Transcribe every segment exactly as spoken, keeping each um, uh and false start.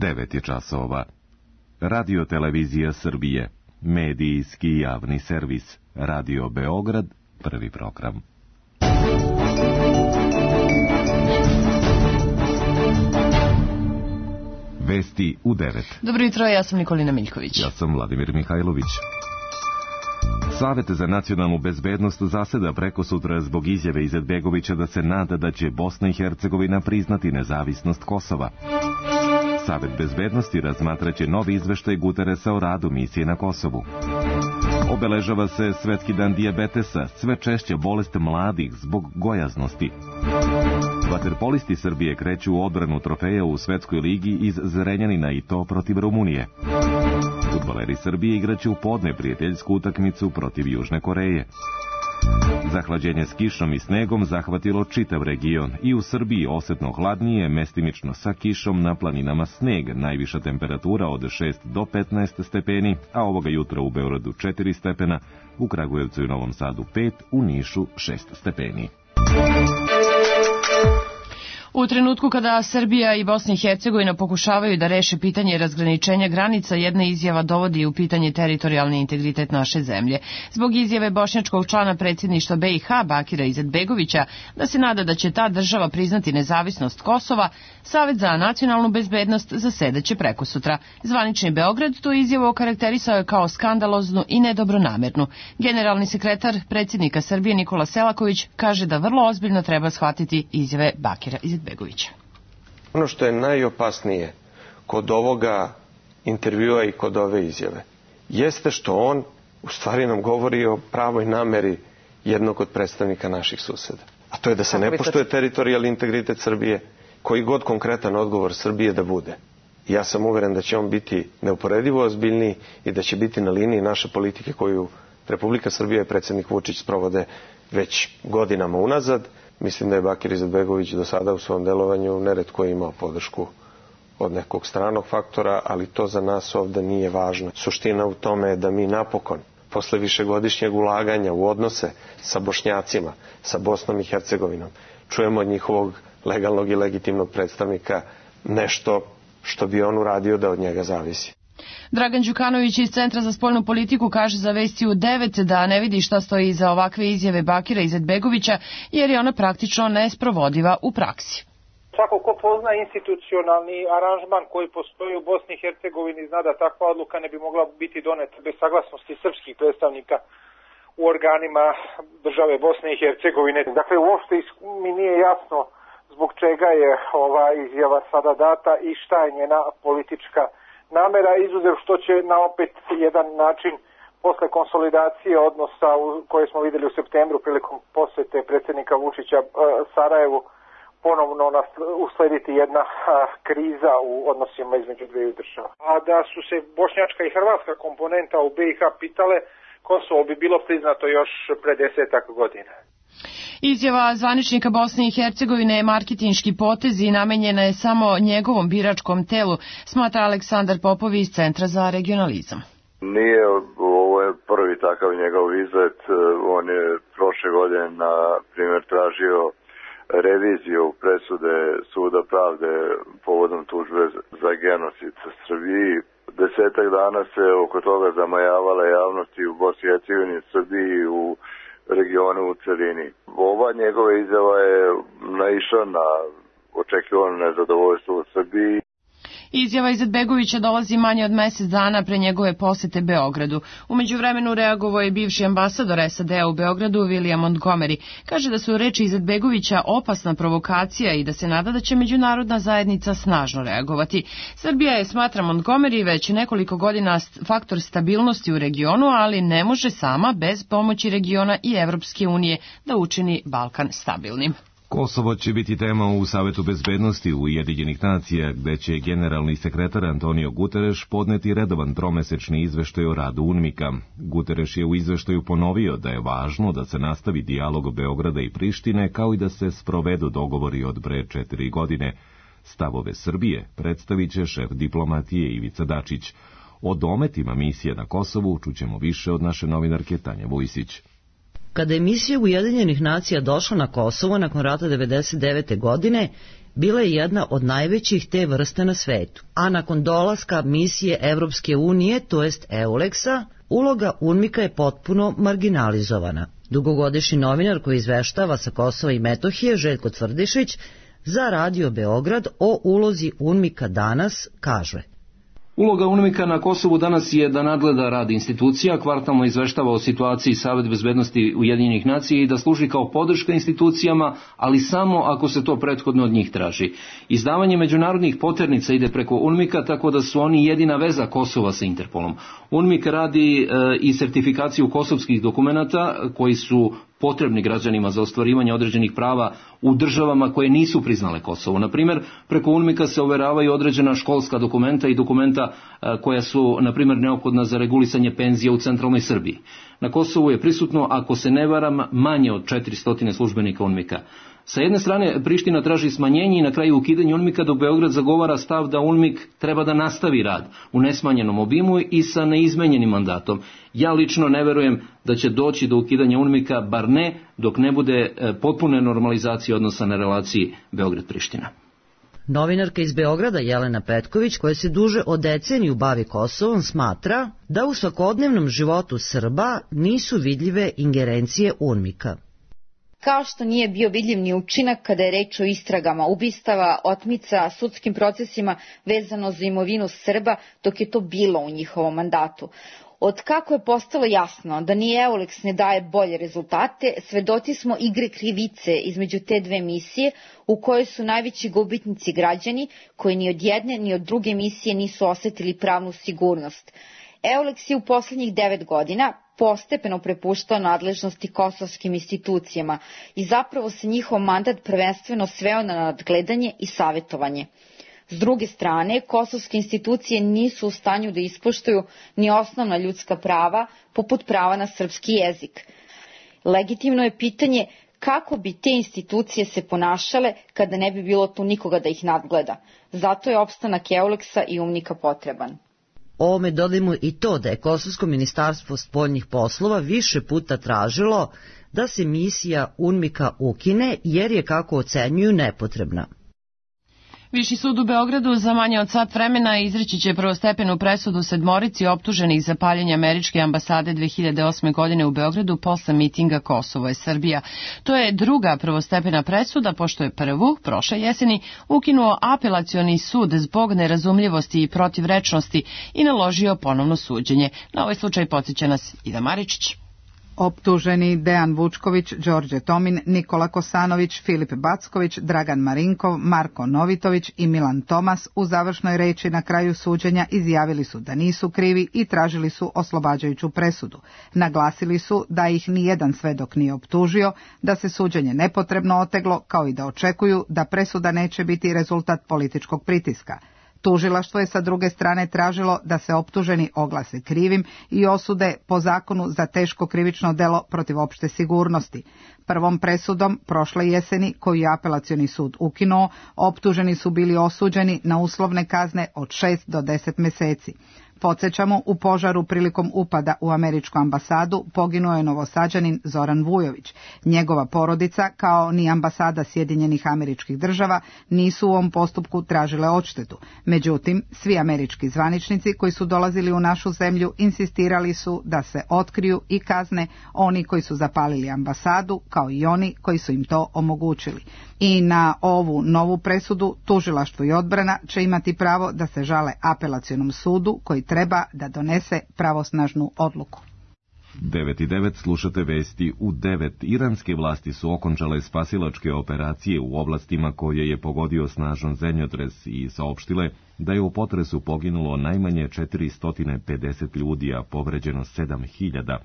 devet je časova. Radio Televizija Srbije, medijski javni servis, Radio Beograd, prvi program. Vesti u devet. Dobro jutro, ja sam Nikolina Miljković. Ja sam Vladimir Mihajlović. Savet za nacionalnu bezbednost zaseda prekosutra zbog izjave Izetbegovića da se nada da će Bosna i Hercegovina priznati nezavisnost Kosova. Savet bezbednosti razmatraće novi izveštaj Guteresa o radu misije na Kosovu. Obeležava se Svetski dan dijabetesa, sve češća bolest mladih zbog gojaznosti. Vaterpolisti Srbije kreću u odbranu trofeja u Svetskoj ligi iz Zrenjanina i to protiv Rumunije. Fudbaleri Srbije igraće u podne prijateljsku utakmicu protiv Južne Koreje. Zahlađenje s kišom i snegom zahvatilo čitav region i u Srbiji osetno hladnije, mestimično sa kišom, na planinama sneg, najviša temperatura od šest do petnaest stepeni, a ovoga jutra u Beogradu četiri stepena, u Kragujevcu i Novom Sadu pet, u Nišu šest stepeni. U trenutku kada Srbija i Bosna i Hercegovina pokušavaju da reše pitanje razgraničenja granica, jedna izjava dovodi u pitanje teritorijalni integritet naše zemlje. Zbog izjave bošnjačkog člana predsjedništva B i H Bakira Izetbegovića da se nada da će ta država priznati nezavisnost Kosova, Savet za nacionalnu bezbednost zasedaće prekosutra. Zvanični Beograd tu izjavu okarakterisao je kao skandaloznu i nedobronamernu. Generalni sekretar predsjednika Srbije Nikola Selaković kaže da vrlo ozbiljno treba shvatiti izjave Bakira Izetbegovića. Begovića. Ono što je najopasnije kod ovoga intervjua i kod ove izjave jeste što on u stvari nam govori o pravoj nameri jednog od predstavnika naših suseda. A to je da se ne poštuje teritorijalni integritet Srbije, koji god konkretan odgovor Srbije da bude. Ja sam uveren da će on biti neuporedivo ozbiljniji i da će biti na liniji naše politike koju Republika Srbija i predsjednik Vučić sprovode već godinama unazad. Mislim da je Bakir Izetbegović do sada u svom delovanju neretko imao podršku od nekog stranog faktora, ali to za nas ovdje nije važno. Suština u tome je da mi napokon, posle višegodišnjeg ulaganja u odnose sa Bošnjacima, sa Bosnom i Hercegovinom, čujemo od njihovog legalnog i legitimnog predstavnika nešto što bi on uradio da od njega zavisi. Dragan Đukanović iz Centra za spoljnu politiku kaže za Vesti u devet da ne vidi šta stoji iza ovakve izjave Bakira Izetbegovića, jer je ona praktično nesprovodiva u praksi. Svako ko pozna institucionalni aranžman koji postoji u Bosni i Hercegovini zna da takva odluka ne bi mogla biti doneta bez saglasnosti srpskih predstavnika u organima države Bosne i Hercegovine. Dakle, uopšte mi nije jasno zbog čega je ova izjava sada data i šta je njena politička namera, izuzev što će na opet jedan način posle konsolidacije odnosa koje smo vidjeli u septembru prilikom posete predsjednika Vučića Sarajevu ponovno uslediti jedna kriza u odnosima između dviju država. A da su se bošnjačka i hrvatska komponenta u B i H pitale, Kosovo bi bilo priznato još pre desetak godina. Izjava zvaničnika Bosne i Hercegovine je marketinški potez i namenjena je samo njegovom biračkom telu, smatra Aleksandar Popov iz Centra za regionalizam. Nije, ovo je prvi takav njegov izlet. On je prošle godine, na primjer, tražio reviziju presude Suda pravde povodom tužbe za genocid sa Srbiji. Desetak dana se oko toga zamajavala javnost i u Bosni i Hercegovini, Srbiji i u regionu u celini. Ova njegova izjava je naišla na očekivano nezadovoljstvo u Srbiji. Izjava Izetbegovića dolazi manje od mjesec dana pre njegove posete Beogradu. U međuvremenu reagovao je bivši ambasador S A D-a u Beogradu William Montgomery. Kaže da su reči Izetbegovića opasna provokacija i da se nada da će međunarodna zajednica snažno reagovati. Srbija je, smatra Montgomery, već nekoliko godina faktor stabilnosti u regionu, ali ne može sama bez pomoći regiona i Evropske unije da učini Balkan stabilnim. Kosovo će biti tema u Savetu bezbednosti Ujedinjenih nacija, gde će generalni sekretar Antonio Guterres podneti redovan tromesečni izveštaj o radu UNMIK-a. Guterres je u izveštaju ponovio da je važno da se nastavi dijalog Beograda i Prištine, kao i da se sprovedu dogovori od pre četiri godine. Stavove Srbije predstavit će šef diplomatije Ivica Dačić. O dometima misije na Kosovu čućemo više od naše novinarke Tanje Vujsić. Kada je misija Ujedinjenih nacija došla na Kosovo nakon rata devedeset devete godine, bila je jedna od najvećih te vrste na svetu, a nakon dolaska misije Evropske unije, to jest EULEX-a, uloga UNMIK-a je potpuno marginalizovana. Dugogodišnji novinar koji izveštava sa Kosova i Metohije, Željko Tvrdišić, za Radio Beograd o ulozi UNMIK-a danas kaže: Uloga UNMIK-a na Kosovu danas je da nadgleda rad institucija, kvartalno izveštava o situaciji Savet bezbednosti Ujedinjenih nacija i da služi kao podrška institucijama, ali samo ako se to prethodno od njih traži. Izdavanje međunarodnih poternica ide preko UNMIK-a, tako da su oni jedina veza Kosova sa Interpolom. UNMIK radi e, i sertifikaciju kosovskih dokumenata koji su potrebni građanima za ostvarivanje određenih prava u državama koje nisu priznale Kosovo. Na primjer, preko UNMIK-a se overavaju određena školska dokumenta i dokumenta koja su, na primjer, neophodna za regulisanje penzija u centralnoj Srbiji. Na Kosovu je prisutno, ako se ne varam, manje od četiristo službenika UNMIK-a. Sa jedne strane, Priština traži smanjenje i na kraju ukidanje UNMIK-a, dok Beograd zagovara stav da UNMIK treba da nastavi rad u nesmanjenom obimu i sa neizmenjenim mandatom. Ja lično ne verujem da će doći do ukidanja UNMIK-a, bar ne dok ne bude potpune normalizacije odnosa na relaciji Beograd-Priština. Novinarka iz Beograda Jelena Petković, koja se duže od deceniju bavi Kosovom, smatra da u svakodnevnom životu Srba nisu vidljive ingerencije UNMIK-a. Kao što nije bio vidljiv ni učinak kada je reč o istragama ubistava, otmica, sudskim procesima vezano za imovinu Srba, dok je to bilo u njihovom mandatu. Od kako je postalo jasno da ni EULEX ne daje bolje rezultate, svedoci smo igre krivice između te dve misije u kojoj su najveći gubitnici građani koji ni od jedne ni od druge misije nisu osetili pravnu sigurnost. EULEX je u poslednjih devet godina postepeno prepuštao nadležnosti kosovskim institucijama i zapravo se njihov mandat prvenstveno sveo na nadgledanje i savetovanje. S druge strane, kosovske institucije nisu u stanju da ispoštuju ni osnovna ljudska prava, poput prava na srpski jezik. Legitimno je pitanje kako bi te institucije se ponašale kada ne bi bilo tu nikoga da ih nadgleda. Zato je opstanak EULEX-a i UNMIK-a potreban. Ovome dodajmo i to da je Kosovsko ministarstvo spoljnih poslova više puta tražilo da se misija UNMIK-a ukine jer je, kako ocenjuju, nepotrebna. Viši sud u Beogradu za manje od sat vremena izreći će prvostepenu presudu sedmorici optuženih za paljenje američke ambasade dve hiljade osme. godine u Beogradu posle mitinga Kosovo je Srbija. To je druga prvostepena presuda, pošto je prvu, prošle jeseni, ukinuo apelacioni sud zbog nerazumljivosti i protivrečnosti i naložio ponovno suđenje. Na ovaj slučaj podsjeća nas Ida Maričić. Optuženi Dejan Vučković, Đorđe Tomin, Nikola Kosanović, Filip Backović, Dragan Marinkov, Marko Novitović i Milan Tomas u završnoj reči na kraju suđenja izjavili su da nisu krivi i tražili su oslobađajuću presudu. Naglasili su da ih nijedan svedok nije optužio, da se suđenje nepotrebno oteglo, kao i da očekuju da presuda neće biti rezultat političkog pritiska. Tužilaštvo je sa druge strane tražilo da se optuženi oglase krivim i osude po zakonu za teško krivično delo protiv opšte sigurnosti. Prvom presudom prošle jeseni, koju je apelacioni sud ukinuo, optuženi su bili osuđeni na uslovne kazne od šest do deset meseci. Podsjećamo, u požaru prilikom upada u američku ambasadu poginuo je Novosađanin Zoran Vujović. Njegova porodica, kao ni ambasada Sjedinjenih Američkih Država, nisu u ovom postupku tražile odštetu. Međutim, svi američki zvaničnici koji su dolazili u našu zemlju insistirali su da se otkriju i kazne oni koji su zapalili ambasadu, kao i oni koji su im to omogućili. I na ovu novu presudu tužilaštvo i odbrana će imati pravo da se žale apelacionom sudu koji treba da donese pravosnažnu odluku. devet i devet slušate vesti u devet. Iranske vlasti su okončale spasilačke operacije u oblastima koje je pogodio snažan zemljotres i saopštile da je u potresu poginulo najmanje četiristo pedeset ljudi, a povređeno sedam hiljada.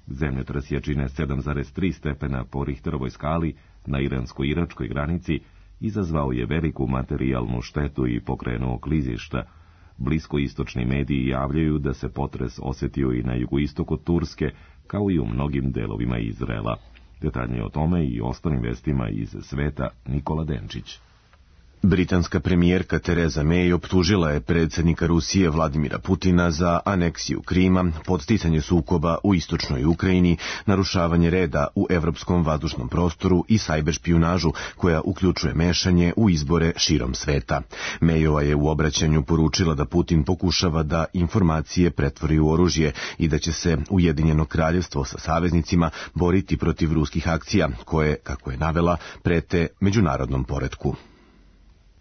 Zemljotres jačine sedam zarez tri stepena po Richterovoj skali na iransko-iračkoj granici izazvao je veliku materijalnu štetu i pokrenuo klizišta. Bliskoistočni mediji javljaju da se potres osjetio i na jugoistoku Turske, kao i u mnogim delovima Izraela. Detaljnije o tome i ostalim vestima iz sveta Nikola Denčić. Britanska premijerka Tereza May optužila je predsjednika Rusije Vladimira Putina za aneksiju Krima, podsticanje sukoba u istočnoj Ukrajini, narušavanje reda u evropskom vazdušnom prostoru i sajber špijunažu koja uključuje mešanje u izbore širom sveta. Mayova je u obraćanju poručila da Putin pokušava da informacije pretvori u oružje i da će se Ujedinjeno kraljevstvo sa saveznicima boriti protiv ruskih akcija koje, kako je navela, prete međunarodnom poretku.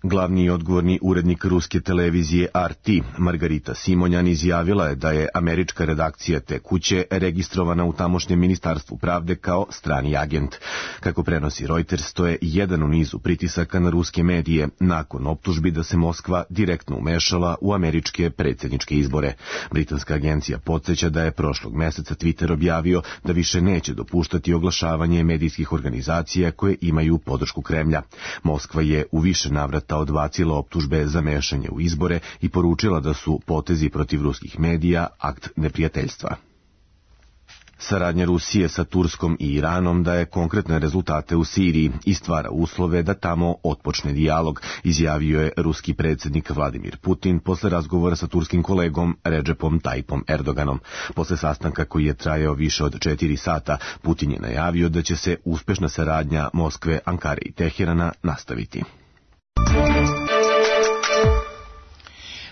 Glavni i odgovorni urednik ruske televizije R T, Margarita Simonjan, izjavila je da je američka redakcija te kuće registrovana u tamošnjem ministarstvu pravde kao strani agent. Kako prenosi Reuters, to je jedan u nizu pritisaka na ruske medije nakon optužbi da se Moskva direktno umešala u američke predsjedničke izbore. Britanska agencija podsjeća da je prošlog meseca Twitter objavio da više neće dopuštati oglašavanje medijskih organizacija koje imaju podršku Kremlja. Moskva je u više navrata odbacila optužbe za mešanje u izbore i poručila da su potezi protiv ruskih medija akt neprijateljstva. Saradnja Rusije sa Turskom i Iranom daje konkretne rezultate u Siriji i stvara uslove da tamo otpočne dijalog, izjavio je ruski predsjednik Vladimir Putin posle razgovora sa turskim kolegom Recepom Tayyipom Erdoganom. Posle sastanka koji je trajao više od četiri sata, Putin je najavio da će se uspešna saradnja Moskve, Ankare i Teherana nastaviti.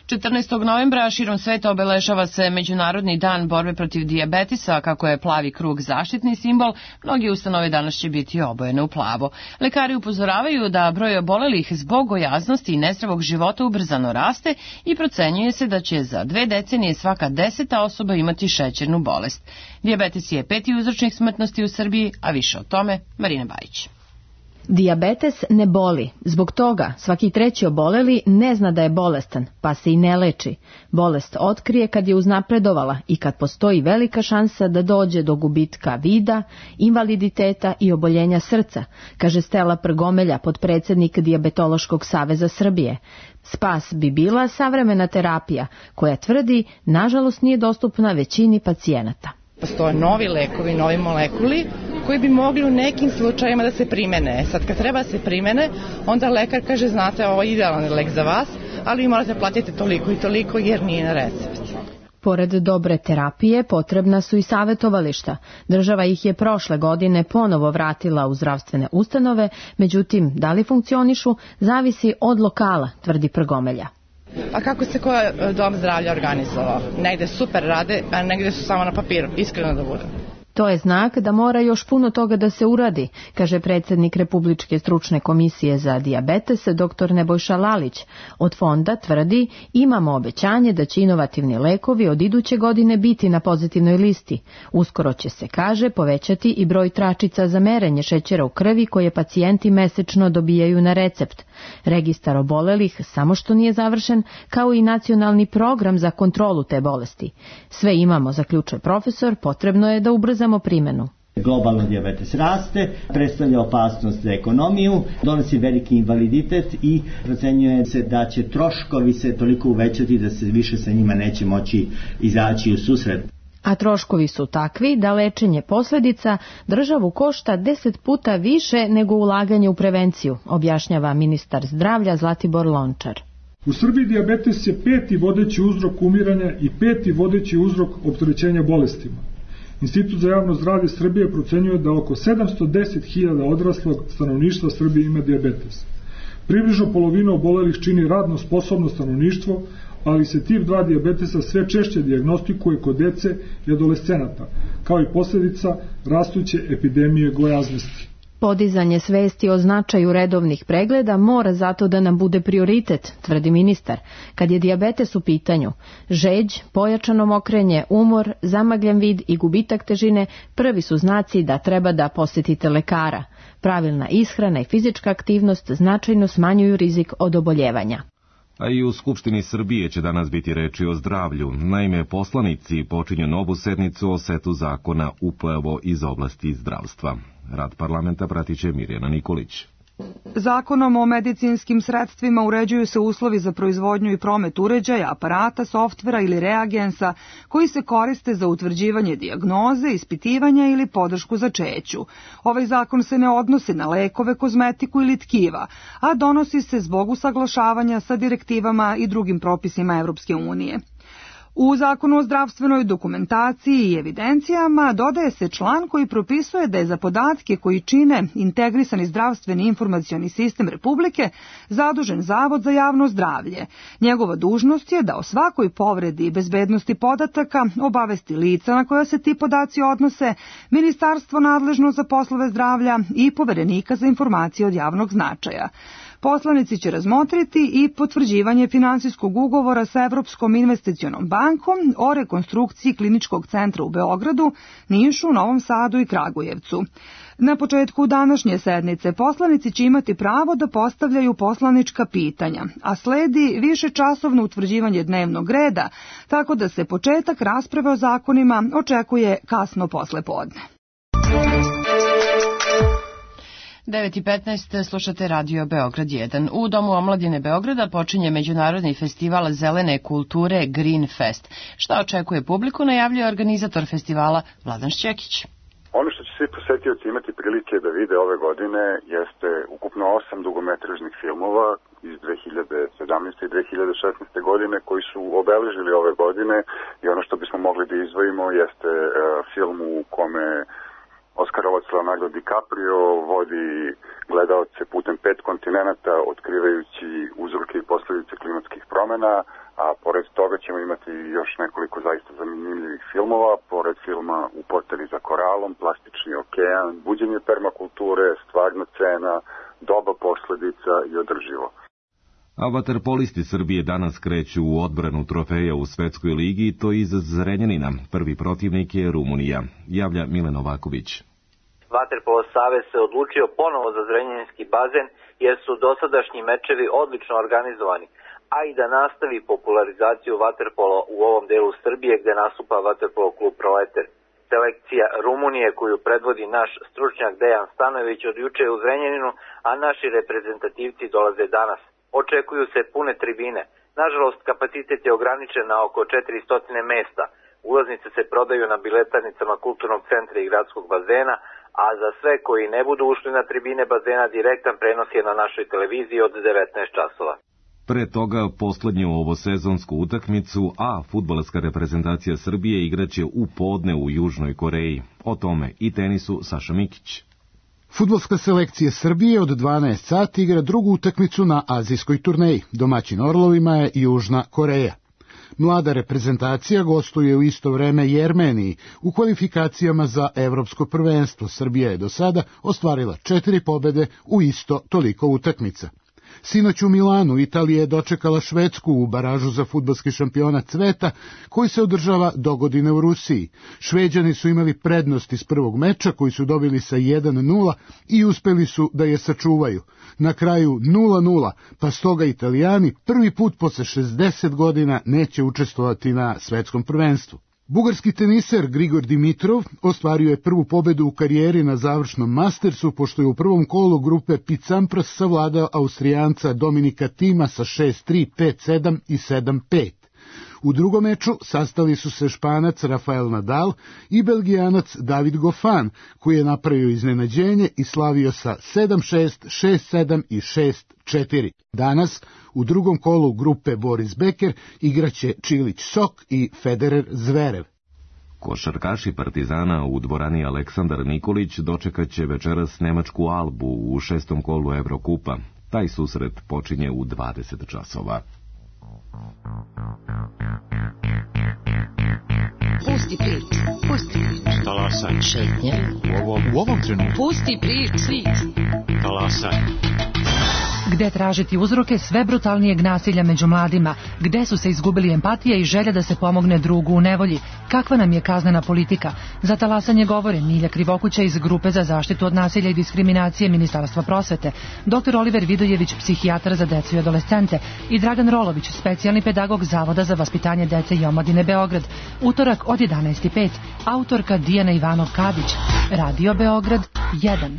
četrnaestog novembra širom sveta obeležava se Međunarodni dan borbe protiv dijabetisa. Kako je plavi krug zaštitni simbol, mnogi ustanove danas će biti obojene u plavo. Lekari upozoravaju da broj obolelih zbog gojaznosti i nezdravog života ubrzano raste i procenjuje se da će za dve decenije svaka deseta osoba imati šećernu bolest. Dijabetes je peti uzročnik smrtnosti u Srbiji, a više o tome Marina Bajić. Dijabetes ne boli, zbog toga svaki treći oboleli ne zna da je bolestan, pa se i ne leči. Bolest otkrije kad je uznapredovala i kad postoji velika šansa da dođe do gubitka vida, invaliditeta i oboljenja srca, kaže Stela Prgomelja, potpredsjednik Dijabetološkog saveza Srbije. Spas bi bila savremena terapija, koja tvrdi, nažalost nije dostupna većini pacijenata. Postoje novi lekovi, novi molekuli koji bi mogli u nekim slučajima da se primene. Sad kad treba da se primene, onda lekar kaže, znate, ovo je idealan lek za vas, ali vi morate platiti toliko i toliko jer nije na recept. Pored dobre terapije, potrebna su i savjetovališta. Država ih je prošle godine ponovo vratila u zdravstvene ustanove, međutim, da li funkcionišu, zavisi od lokala, tvrdi Prgomelja. A kako se koji dom zdravlja organizovao? Negde super rade, a negde su samo na papiru, iskreno da budem. To je znak da mora još puno toga da se uradi, kaže predsjednik Republičke stručne komisije za dijabetes, doktor Nebojša Lalić. Od fonda tvrdi, imamo obećanje da će inovativni lekovi od iduće godine biti na pozitivnoj listi. Uskoro će se, kaže, povećati i broj tračica za merenje šećera u krvi koje pacijenti mesečno dobijaju na recept. Registar obolelih samo što nije završen, kao i nacionalni program za kontrolu te bolesti. Sve imamo, zaključuje profesor, potrebno je da ubrzamo primjenu. Globalno dijabetes raste, predstavlja opasnost za ekonomiju, donosi veliki invaliditet i procenjuje se da će troškovi se toliko uvećati da se više sa njima neće moći izaći u susret. A troškovi su takvi da lečenje posljedica državu košta deset puta više nego ulaganje u prevenciju, objašnjava ministar zdravlja Zlatibor Lončar. U Srbiji dijabetes je peti vodeći uzrok umiranja i peti vodeći uzrok opterećenja bolestima. Institut za javno zdravlje Srbije procenjuje da oko sedamsto deset hiljada odraslog stanovništva Srbije ima dijabetes. Približno polovinu obolelih čini radno sposobno stanovništvo, ali se tip dva dijabetesa sve češće dijagnostikuje kod dece i adolescenata, kao i posljedica rastuće epidemije gojaznosti. Podizanje svesti o značaju redovnih pregleda mora zato da nam bude prioritet, tvrdi ministar. Kad je dijabetes u pitanju, žeđ, pojačano mokrenje, umor, zamagljen vid i gubitak težine prvi su znaci da treba da posjetite lekara. Pravilna ishrana i fizička aktivnost značajno smanjuju rizik od oboljevanja. A i u Skupštini Srbije će danas biti reči o zdravlju. Naime, poslanici počinju novu sednicu o setu zakona upravo iz oblasti zdravstva. Rad parlamenta pratit će Mirjana Nikolić. Zakonom o medicinskim sredstvima uređuju se uslovi za proizvodnju i promet uređaja, aparata, softvera ili reagensa koji se koriste za utvrđivanje dijagnoze, ispitivanja ili podršku začeću. Ovaj zakon se ne odnosi na lekove, kozmetiku ili tkiva, a donosi se zbog usaglašavanja sa direktivama i drugim propisima Evropske unije. U Zakonu o zdravstvenoj dokumentaciji i evidencijama dodaje se član koji propisuje da je za podatke koji čine integrisani zdravstveni informacioni sistem Republike zadužen Zavod za javno zdravlje. Njegova dužnost je da o svakoj povredi i bezbednosti podataka obavesti lica na koja se ti podaci odnose, ministarstvo nadležno za poslove zdravlja i poverenika za informacije od javnog značaja. Poslanici će razmotriti i potvrđivanje finansijskog ugovora sa Evropskom investicionom bankom o rekonstrukciji kliničkog centra u Beogradu, Nišu, Novom Sadu i Kragujevcu. Na početku današnje sednice poslanici će imati pravo da postavljaju poslanička pitanja, a sledi višečasovno utvrđivanje dnevnog reda, tako da se početak rasprave o zakonima očekuje kasno posle podne. devet i petnaest slušate Radio Beograd jedan. U Domu omladine Beograda počinje Međunarodni festival zelene kulture Green Fest. Šta očekuje publiku, najavljuje organizator festivala Vladan Šćekić. Ono što će svi posetioci imati prilike da vide ove godine jeste ukupno osam dugometražnih filmova iz dve hiljade sedamnaeste. i dve hiljade šesnaeste. godine koji su obeležili ove godine, i ono što bismo mogli da izdvojimo jeste uh, film u kome Oskarovac Leonardo DiCaprio vodi gledaoce putem pet kontinenata, otkrivajući uzroke i posledice klimatskih promena, a pored toga ćemo imati još nekoliko zaista zanimljivih filmova, pored filma U poteri za koralom, Plastični okean, Buđenje permakulture, Stvarna cena, Doba posledica i Održivo. A vaterpolisti Srbije danas kreću u odbranu trofeja u Svetskoj ligi, to iz Zrenjanina. Prvi protivnik je Rumunija, javlja Milan Novaković. Vaterpolo savez se odlučio ponovo za zrenjaninski bazen jer su dosadašnji mečevi odlično organizovani, a i da nastavi popularizaciju vaterpola u ovom delu Srbije gde nastupa vaterpolo klub Proleter. Selekcija Rumunije koju predvodi naš stručnjak Dejan Stanojević od juče u Zrenjaninu, a naši reprezentativci dolaze danas. Očekuju se pune tribine. Nažalost, kapacitet je ograničen na oko četiristo mesta. Ulaznice se prodaju na biletarnicama kulturnog centra i gradskog bazena, a za sve koji ne budu ušli na tribine bazena direktan prenos je na našoj televiziji od devetnaest časova. Pre toga poslednju ovosezonsku utakmicu, a fudbalska reprezentacija Srbije igraće u podne u Južnoj Koreji. O tome i tenisu Saša Mikić. Fudbalska selekcija Srbije od dvanaest sati igra drugu utakmicu na azijskoj turneji. Domaćin Orlovima je Južna Koreja. Mlada reprezentacija gostuje u isto vreme i Jermeniji. U kvalifikacijama za evropsko prvenstvo Srbija je do sada ostvarila četiri pobede u isto toliko utakmica. Sinoć u Milanu Italija je dočekala Švedsku u baražu za fudbalski šampionat sveta koji se održava dogodine u Rusiji. Šveđani su imali prednost iz prvog meča koji su dobili sa jedan nula i uspeli su da je sačuvaju. Na kraju nula nula, pa stoga Italijani prvi put posle šezdeset godina neće učestvovati na svetskom prvenstvu. Bugarski teniser Grigor Dimitrov ostvario je prvu pobedu u karijeri na završnom Mastersu, pošto je u prvom kolu grupe Picampras savladao Austrijanca Dominika Tima sa šest tri, pet sedam i sedam pet. U drugom meču sastali su se Španac Rafael Nadal i Belgijanac David Goffin, koji je napravio iznenađenje i slavio sa sedam šest, šest sedam i šest četiri. Danas, u drugom kolu grupe Boris Becker, igraće Čilić Sok i Federer Zverev. Košarkaši Partizana u dvorani Aleksandar Nikolić dočekaće večeras nemačku Albu u šestom kolu Evrokupa. Taj susret počinje u dvadeset časova. Pusti priču, pusti priču. Talasaj. Šetnje. U ovom, u ovom trenutku. Pusti priču. Talasaj. Gde tražiti uzroke sve brutalnijeg nasilja među mladima? Gde su se izgubili empatija i želja da se pomogne drugu u nevolji? Kakva nam je kaznena politika? Za talasanje govore Milja Krivokuća iz Grupe za zaštitu od nasilja i diskriminacije Ministarstva prosvete, doktor Oliver Vidojević, psihijatar za decu i adolescente, i Dragan Rolović, specijalni pedagog Zavoda za vaspitanje dece i omladine Beograd. Utorak od jedanaest i pet, autorka Dijana Ivanov Kadić. Radio Beograd jedan.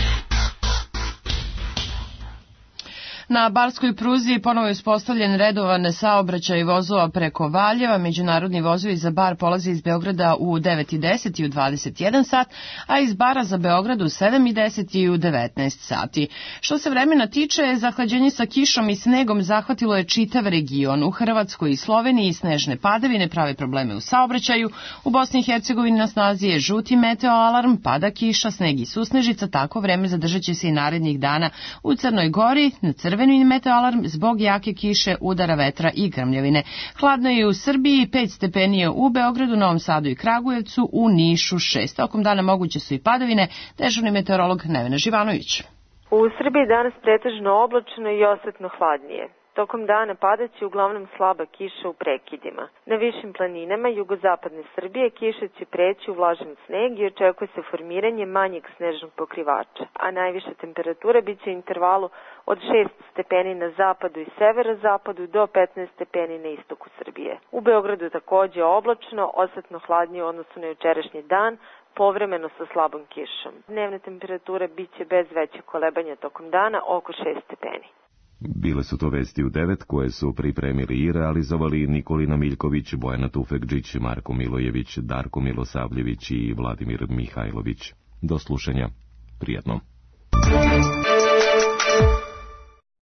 Na Barskoj pruzi ponovo je uspostavljen redovan saobraćaj vozova preko Valjeva. Međunarodni vozovi za Bar polaze iz Beograda u devet i deset i u dvadeset jedan sat, a iz Bara za Beograd u sedam i deset i u devetnaest sati. Što se vremena tiče, zahlađenje sa kišom i snegom zahvatilo je čitav region. U Hrvatskoj i Sloveniji snežne padavine prave probleme u saobraćaju. U Bosni i Hercegovini na snazi je žuti meteo alarm, pada kiša, sneg i susnežica, tako vreme zadržat će se i narednih dana u Crnoj Gori, na crveni meteo alarm zbog jake kiše, udara vetra i grmljavine. Hladno je u Srbiji, pet stepeni je u Beogradu, Novom Sadu i Kragujevcu, u Nišu šest. Tokom dana moguće su i padavine, dežurni meteorolog Nevena Živanović. U Srbiji danas pretežno oblačno i osetno hladnije. Tokom dana padaće uglavnom slaba kiša u prekidima. Na višim planinama jugozapadne Srbije kiša će preći u vlažan sneg i očekuje se formiranje manjeg snežnog pokrivača, a najviša temperatura biće u intervalu od šest stepeni na zapadu i severozapadu do petnaest stepeni na istoku Srbije. U Beogradu takođe oblačno, osetno hladnije u odnosu na jučerašnji dan, povremeno sa slabom kišom. Dnevna temperatura biće bez većeg kolebanja tokom dana oko šest stepeni. Bile su to vesti u devet koje su pripremili i realizovali Nikolina Miljković, Bojana Tufekđić, Marko Milojević, Darko Milosavljević i Vladimir Mihajlović. Do slušanja. Prijetno.